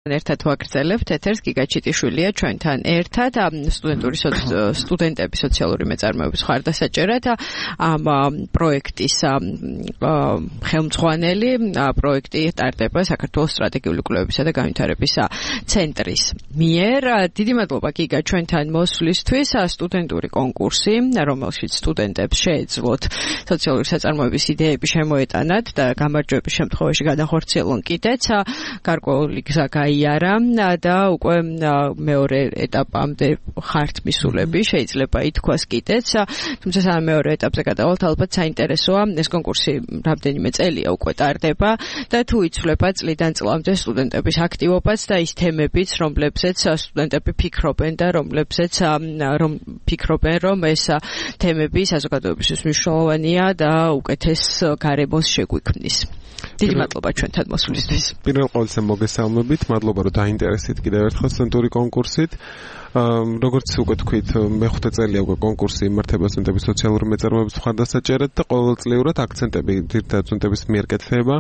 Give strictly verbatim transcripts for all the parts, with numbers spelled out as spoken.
ერთად ვაგრძელებთ ეთერს გიგაჩიტიშვილია ჩვენთან ერთად სტუდენტური სტუდენტების სოციალური მეწარმეობის ხარდასაჭერად ამ პროექტის ხელმძღვანელი პროექტი ტარდება საქართველოს სტრატეგიული კვლევებისა და განვითარების ცენტრის მიერ. დიდი მადლობა გიგა ჩვენთან მოსვლისთვის. სტუდენტური კონკურსი, რომელშიც სტუდენტებს შეეძლოთ სოციალური საწარმოების იდეები შემოეტანათ და გამარჯვების შემთხვევაში გადახორციელონ კიდეც გარკვეული გზა იარა და უკვე მეორე ეტაპამდე ხართ მისულები შეიძლება ითქვას კიდეც, თუმცა სანამ მეორე ეტაპზე გადავალთ, ალბათ საინტერესოა ეს კონკურსი რამდენიმე წელია უკვე ტარდება და თუ იცვლება წლიდან წლამდე სტუდენტების აქტივობაც და ის თემებიც, რომლებზეც სტუდენტები ფიქრობენ და რომლებზეც რომ ფიქრობენ, რომ ეს თემები საზოგადოებისთვის მნიშვნელოვანია და უკეთეს გარემოს შეგვიქმნის. დიდი მადლობა ჩვენთან მოსვლისთვის. პირველ ყოვლისა მოგესალმებით, მადლობა რომ დაინტერესდით კიდევ ერთხელ სტუდენტური კონკურსით. როგორც უკვე თქვით, მეხუთე წელია უკვე კონკურსი იმართება სტუდენტების სოციალური მეწარმეობის ხარდასაჭერად და ყოველწლიურად აქცენტები ძირითადად სტუდენტების მიერ კეთდება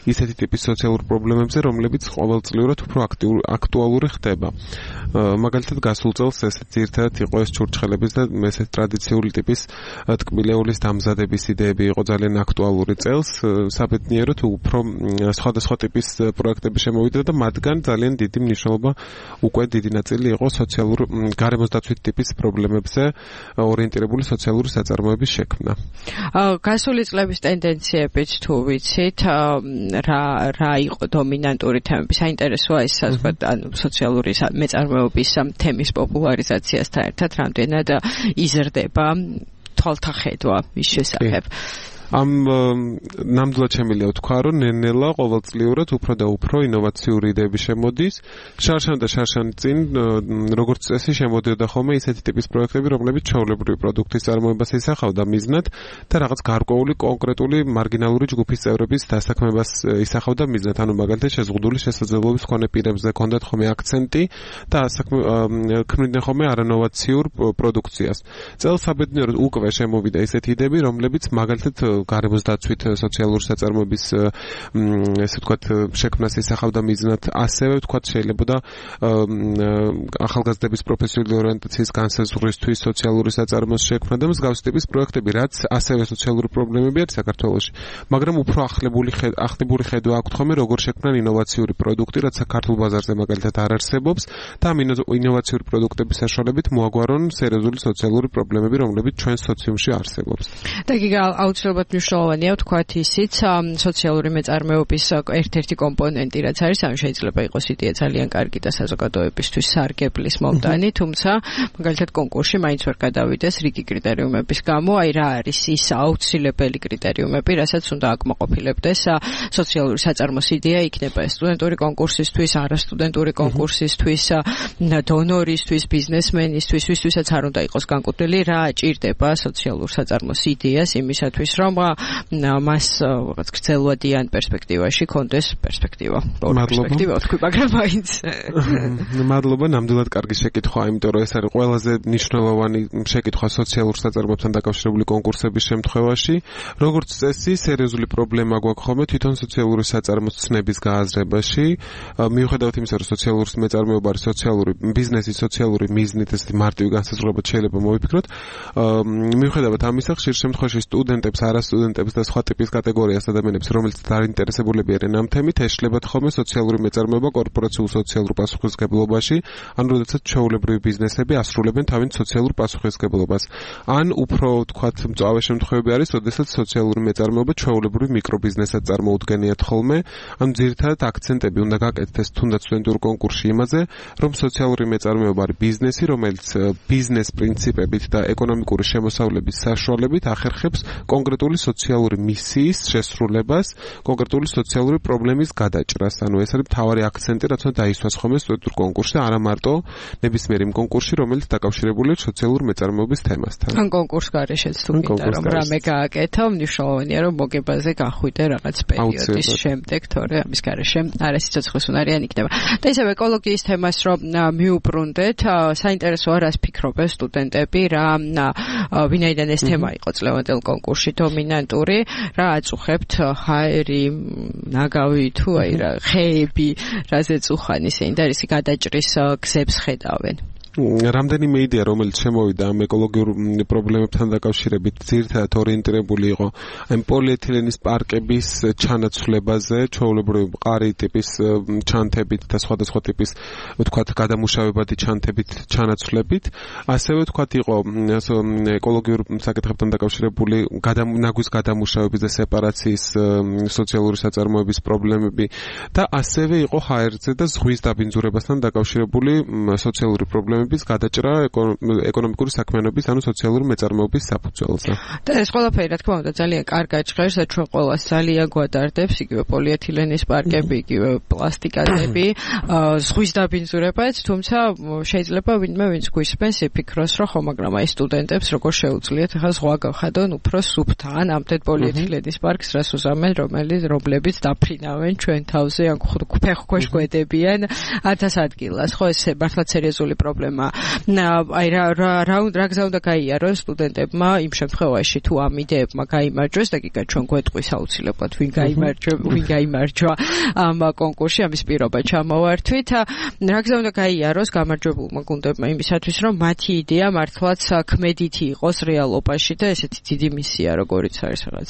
ისეთი ტიპის სოციალურ პრობლემებზე, რომლებიც ყოველწლიურად უფრო აქტუალური ხდება. მაგალითად, გასულ წელს ესეც ძირითადად იყო ეს ჩურჩხელების და ესეთ ტრადიციული ტიპის ტკბილეულის დამზადების იდეები იყო ძალიან აქტუალური წელს. საბედნიეროდ უფრო სხვადასხვა ტიპის პროექტები შემოვიდა და მათგან ძალიან დიდი მნიშვნელობა უკვე დიდი ნაწილი იყო სოციალურ გარემოსდაცვით ტიპის პრობლემებზე ორიენტირებული სოციალური საწარმოების შექმნა. გასული წლების ტენდენციებით თუ ვიცით, რა რა იყო დომინანტური თემები? საინტერესოა ეს ანუ სოციალური მეწარმეობის თემის პოპულარიზაციასთან ერთად რამდენად იზრდება თვალთა ხედვა მის შესახებ. ამ ნამდვილად შემიძლია ვთქვა, რომ ნელ-ნელა ყოველწლიურად უფრო და უფრო ინოვაციური იდეები შემოდის. შარშან და შარშან წინ, როგორც წესი, შემოდიოდა ხოლმე ისეთი ტიპის პროექტები, რომლებიც ჩვეულებრივი პროდუქტის წარმოებას ისახავდა მიზნად და რაღაც გარკვეული კონკრეტული მარგინალური ჯგუფის წევრების დასაქმებას ისახავდა მიზნად. ანუ მაგალითად შეზღუდული შესაძლებლობის მქონე პირებზე ჰქონდათ ხოლმე აქცენტი და ქმნიდნენ ხოლმე არანოვაციურ პროდუქციას. წელს საბედნიეროდ უკვე შემოვიდა ისეთი იდეები, რომლებიც მაგალითად გარემოსდაცვით სოციალური საწარმოების ესე ვთქვათ შექმნას ისახავდა მიზნად, ასევე ვთქვათ შეიძლება და ახალგაზრდების პროფესიული ორიენტაციის განსაზღვრისთვის სოციალური საწარმოს შექმნა და მსგავსი ტიპის პროექტები, რაც ასევე სოციალური პრობლემები არის საქართველოში, მაგრამ უფრო ახლებული ახლებული ხედვა აქვთ ხოლმე როგორ შექმნან ინოვაციური პროდუქტი, რაც საქართველოს ბაზარზე მაგალითად არ არსებობს და ამ ინოვაციური პროდუქტების საშუალებით მოაგვარონ სერიოზული სოციალური პრობლემები, რომლებიც ჩვენ სოციუმში არსებობს. და გიგა აუცილებლად მნიშვნელოვანია ვთქვათ ისიც სოციალური მეწარმეობის ერთ-ერთი კომპონენტი, რაც არის, ანუ შეიძლება იყოს იდეა ძალიან კარგი და საზოგადოებისთვის სარგებლის მომტანი, თუმცა მაგალითად კონკურსში მაინც ვერ გადავიდეს რიგი კრიტერიუმების გამო, აი რა არის ის აუცილებელი კრიტერიუმები, რასაც უნდა აკმაყოფილებდეს სოციალური საწარმოს იდეა, იქნება ეს სტუდენტური კონკურსისთვის, არასტუდენტური კონკურსისთვის, დონორისთვის, ბიზნესმენისთვის, ვისთვისაც არ უნდა იყოს განკუთვნილი, რა ჭირდება სოციალურ საწარმოს იდეას იმისათვის, რომ მას რაღაც გრძელვადიან პერსპექტივაში კონდეს პერსპექტივა. პერსპექტივა თქვი, მაგრამ მაინც. მადლობა, ნამდვილად კარგი შეკითხვა, იმიტომ რომ ეს არის ყველაზე მნიშვნელოვანი შეკითხვა სოციალურ საწარმოებთან დაკავშირებული კონკურსების შემთხვევაში. როგორც წესი, სერიოზული პრობლემა გვაქვს ხოლმე თვითონ სოციალური საწარმოს ცნების გააზრებაში. მიუხედავად იმისა, რომ სოციალური მეწარმეობა არის სოციალური ბიზნესის სოციალური მიზნით, ესეთი მარტივი განსაზღვრებად შეიძლება მოვიფიქროთ. მიუხედავად ამისა, ხშირ შემთხვევაში სტუდენტებს, არასტუდენტებს და სხვა ტიპის კატეგორიას ადამიანებს, რომელიც დაინტერესებულები არიან ამ თემით, ეშლებათ ხოლმე სოციალური მეწარმეობა კორპორაციულ სოციალურ პასუხისმგებლობაში, ან როდესაც ჩვეულებრივი ბიზნესები ასრულებენ თავის სოციალურ პასუხისმგებლობას. ან უფრო ვთქვათ, მწვავე შემთხვევები არის, როდესაც სოციალური მეწარმეობა ჩვეულებრივი მიკრობიზნესად წარმოუდგენიათ ხოლმე, ან ძირითადად აქცენტები უნდა გაკეთდეს თუნდაც სტუდენტურ კონკურსში იმაზე, რომ სოციალური მეწარმეობა არის ბიზნესი, რომელიც ბიზნეს პრინციპებით და ეკონომიკური შემოსავლების საშუალებით ახერხებს კონკრეტული სოციალური მისიის შესრულებას, კონკრეტული სოციალური პრობლემის გადაჭრას. ანუ ეს არის მთავარი აქცენტი, რაც უნდა დაისვას ხოლმე სტუდენტურ კონკურსში, არა მარტო ნებისმიერ იმ კონკურსში, რომელიც დაკავშირებულია სოციალურ მეწარმეობის თემასთან. ან კონკურს გარეშეც თუ გინდა რომ რამე გააკეთო, მნიშვნელოვანია რომ მოგებაზე გახვიდე რაღაც პერიოდის შემდეგ, თორე ამის გარეშე არასიცოცხლის უნარიანი იქნება. და ისევ ეკოლოგიის თემას რომ მიუბრუნდეთ, საინტერესოა რას ფიქრობენ სტუდენტები, რა ვინაიდან ეს თემა იყო წლევანდელ კონკურსში დომინანტური დომინანტური, რა აწუხებთ ჰაერი, ნაგავი თუ აი რა ხეები, რაზეც უხან ისინი და ისი გადაჭრის გზებს ხედავენ. რამდენიმე იდეა, რომელიც შემოვიდა ამ ეკოლოგიურ პრობლემებთან დაკავშირებით, ძირითადად ორიენტირებული იყო ამ პოლიეთილენის პარკების ჩანაცვლებაზე, ჩვეულებრივი მყარი ტიპის ჩანთებით და სხვადასხვა ტიპის, ვთქვათ, გადამუშავებადი ჩანთებით ჩანაცვლებით. ასევე ვთქვათ, იყო ეკოლოგიურ საკითხებთან დაკავშირებული ნაგვის გადამუშავების და სეპარაციის სოციალური საწარმოების პრობლემები და ასევე იყო ჰაერზე და ზღვის დაბინძურებასთან დაკავშირებული სოციალური პრობლემები ის გადაჭრა ეკონომიკური საქმიანობის, ანუ სოციალური მეწარმეობის საფუძველზე. და ეს ყველაფერი, რა თქმა უნდა, ძალიან კარგად ჟღერს და ჩვენ ყველას ძალიან გვადარდებს, იგივე პოლიეთილენის პარკები, იგივე პლასტიკატები, ზღვის დაბინძურებაც, თუმცა შეიძლება ვინმე ვინც გვისმენს იფიქროს, რომ ხო, მაგრამ აი სტუდენტებს როგორ შეუძლიათ ახლა ზღვა გავხადონ უფრო სუფთა, ამდენ პოლიეთილენის პარკს რას უზამენ, რომელიც რომლებიც დაფრინავენ ჩვენ თავზე, ან ფეხქვეშ გვედებიან ათას ადგილას. ხო, ეს მართლაც სერიოზული პრობლემა. აი რა რა რა გზა უნდა გაიარონ სტუდენტებმა იმ შემთხვევაში თუ ამ იდეებმა გაიმარჯვეს და გიგა ჩვენ გვეტყვის აუცილებლად ვინ გაიმარჯვა ვინ გაიმარჯვა ამ კონკურსში ამის პირობა ჩამოვართვით რა გზა უნდა გაიაროს გამარჯვებულმა გუნდებმა იმისათვის რომ მათი იდეა მართლაც ქმედითი იყოს რეალობაში და ესეთი დიდი მისია როგორიც არის რაღაც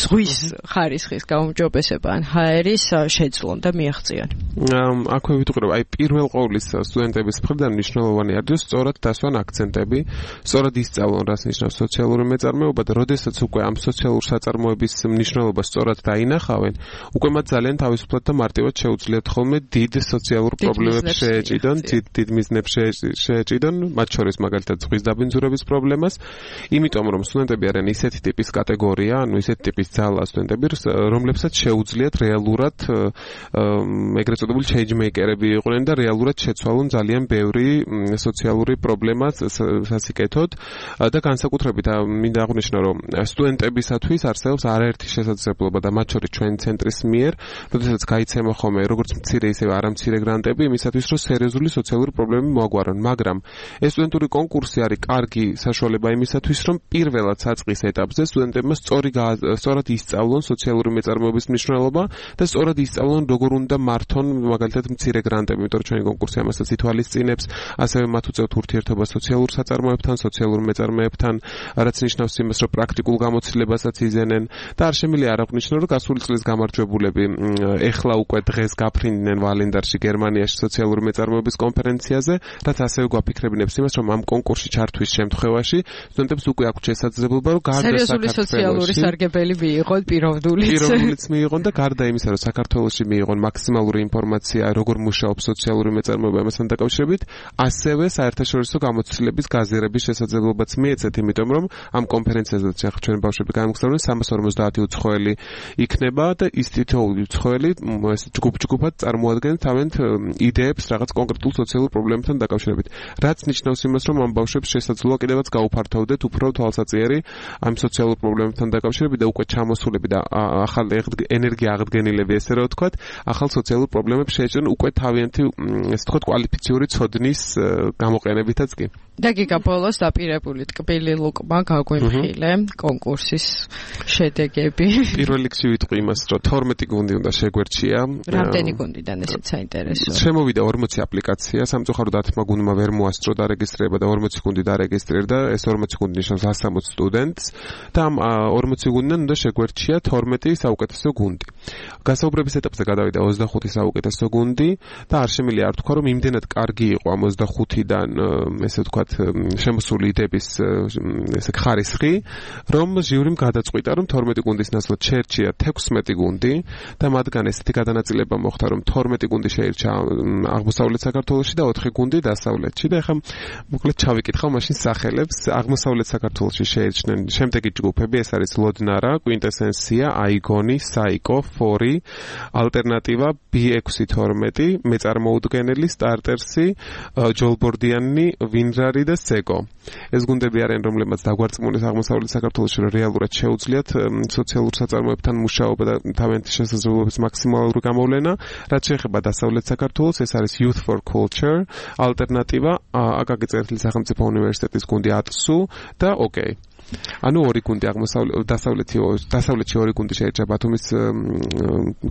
ზღვის ხარისხის გაუმჯობესება ან ჰაერის შეძლონ და მიაღწიონ. აქვე ვიტყვი აი პირველ ყოვლისა სტუდენტების მხრიდან მნიშვნელოვანი არის სწორად დასვან აქცენტები, სწორად ისწავლონ რას ნიშნავს სოციალური მეწარმეობა და როდესაც უკვე ამ სოციალურ საწარმოების მნიშვნელობას სწორად დაინახავენ, უკვე მათ ძალიან თავისუფლად და მარტივად შეუძლიათ ხოლმე დიდ სოციალურ პრობლემებს შეეჭიდონ, დიდ მიზნებს შეეჭიდონ, მათ შორის მაგალითად ზღვის დაბინძურების პრობლემას, იმიტომ რომ სტუდენტები არიან ისეთი ტიპის კატეგორია, ანუ ისეთი ტიპის ძალა სტუდენტები, რომლებსაც შეუძლიათ რეალურად ეგრეთ წოდებული change-maker-ები იყვნენ და რეალურად შეცვალონ ძალიან ბევრი სოციალური პრობლემა სასიკეთოდ და განსაკუთრებით მინდა აღვნიშნო რომ სტუდენტებისათვის არსებობს არაერთი შესაძლებლობა და მათ შორის ჩვენი ცენტრის მიერ, როდესაც გაიცემა ხოლმე როგორც მცირე ისე არამცირე გრანტები იმისათვის რომ სერიოზული სოციალური პრობლემები მოაგვარონ, მაგრამ ეს სტუდენტური კონკურსი არის კარგი საშუალება იმისათვის რომ პირველად საწყის ეტაპზე სტუდენტებმა სწორი სწორად ისწავლონ სოციალური მეწარმეობის მნიშვნელობა და სწორად ისწავლონ როგორ უნდა მართონ მაგალითად მცირე გრანტები, იმიტომ რომ ჩვენი კონკურსი ამასაც ითვალისწინებს, ასევე მათ უწევთ ურთიერთობა სოციალურ საწარმოებთან, სოციალურ მეწარმეებთან, რაც ნიშნავს იმას, რომ პრაქტიკულ გამოცდილებასაც იზენენ და არ შემიძლია არ აღვნიშნო, რომ გასული წლის გამარჯვებულები ეხლა უკვე დღეს გაფრინდნენ ვალენდარში გერმანიაში სოციალური მეწარმეობის კონფერენციაზე, რაც ასევე გვაფიქრებინებს იმას, რომ ამ კონკურსში ჩართვის შემთხვევაში სტუდენტებს უკვე აქვთ შესაძლებლობა, რომ გარდა საქართველოს სოციალური სარგებელი მიიღონ პიროვნულიც. პიროვნულიც მიიღონ და გარდა იმისა, რომ საქართველოში მიიღონ მაქსიმალური ინფორმაცია, როგორ მუშაობს სოციალური მეწარმეობა ამასთან დაკავშირებით, ასევე საერთაშორისო გამოცდილების გაზიარების შესაძლებლობაც მიეცეთ, იმიტომ რომ ამ კონფერენციაზე ახლა ჩვენ ბავშვები გამოგზავნეს სამას ორმოცდაათი უცხოელი იქნება და ის თითოეული უცხოელი ეს ჯგუფ-ჯგუფად წარმოადგენს თავენთ იდეებს რაღაც კონკრეტულ სოციალურ პრობლემებთან დაკავშირებით. რაც ნიშნავს იმას, რომ ამ ბავშვებს შესაძლოა კიდევაც გაუფართოვდეთ უფრო თვალსაწიერი ამ სოციალურ პრობლემებთან დაკავშირებით და უკვე ჩამოსულები და ახალ ენერგია აღდგენილები ესე რა ვთქვათ, ახალ სოციალურ პრობლემებს შეეჭრან უკვე თავიანთი ესე ვთქვათ კვალიფიციური ცოდნის გამოყენებითაც კი. და გიგა ბოლოს დაპირებული ტკბილი ლუკმა გაგვიმხილე კონკურსის შედეგები. პირველ რიგში ვიტყვი იმას, რომ თორმეტი გუნდი უნდა შეგვერჩია. რამდენი გუნდიდან ესეც საინტერესოა. შემოვიდა ორმოცი აპლიკაცია, სამწუხაროდ ათმა გუნდმა ვერ მოასწრო დარეგისტრირება და ორმოცი გუნდი დარეგისტრირდა, ეს ორმოცი გუნდი ნიშნავს ასამოც სტუდენტს და ამ ორმოცი გუნდიდან უნდა შეგვერჩია თორმეტი საუკეთესო გუნდი. გასაუბრების ეტაპზე გადავიდა ოცდახუთი საუკეთესო გუნდი და არ შემიძლია არ თქვა, რომ იმდენად კარგი იყო ამ ოცდახუთიდან ესე ვთქვათ შემოსული იდეების ესე ხარისხი, რომ ჟიურიმ გადაწყვიტა, რომ თორმეტი გუნდის ნაცვლად შეერჩია თექვსმეტი გუნდი და მათგან ესეთი გადანაწილება მოხდა, რომ თორმეტი გუნდი შეირჩა აღმოსავლეთ საქართველოში და ოთხი გუნდი დასავლეთში და ეხლა მოკლედ ჩავიკითხავ მაშინ სახელებს. აღმოსავლეთ საქართველოში შეირჩნენ შემდეგი ჯგუფები, ეს არის ლოდნარა, კვინტესენსია, აიგონი, საიკო, ფორი, ალტერნატივა, ბი ექვსი თორმეტი, მეწარმოუდგენელი, სტარტერსი, ჯოლბორდიანი, ვინრარი და სეკო. ეს გუნდები არიან, რომლებმაც დაგვარწმუნეს აღმოსავლეთ საქართველოში რეალურად შეუძლიათ სოციალურ საწარმოებთან მუშაობა და თავიანთი შესაძლებლობების მაქსიმალური გამოვლენა. რაც შეეხება დასავლეთ საქართველოს, ეს არის Youth for Culture, ალტერნატივა, აკაკი წერეთლის სახელმწიფო უნივერსიტეტის გუნდი ატსუ და ოკეი. ანუ ორი გუნდი აღმოსავლეთ დასავლეთი დასავლეთში ორი გუნდი შეერჩა ბათუმის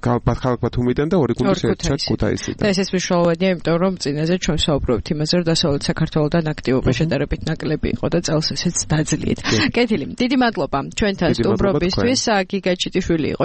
ქალაქ ბათუმიდან და ორი გუნდი შეერჩა ქუთაისიდან. და ეს მნიშვნელოვანია, იმიტომ რომ წინაზე ჩვენ საუბრობთ იმაზე, რომ დასავლეთ საქართველოსთან აქტივობა შედარებით ნაკლები იყო და წელს ესეც დაძლიეთ. კეთილი, დიდი მადლობა ჩვენთან სტუმრობისთვის. გიგა ჩიტიშვილი იყო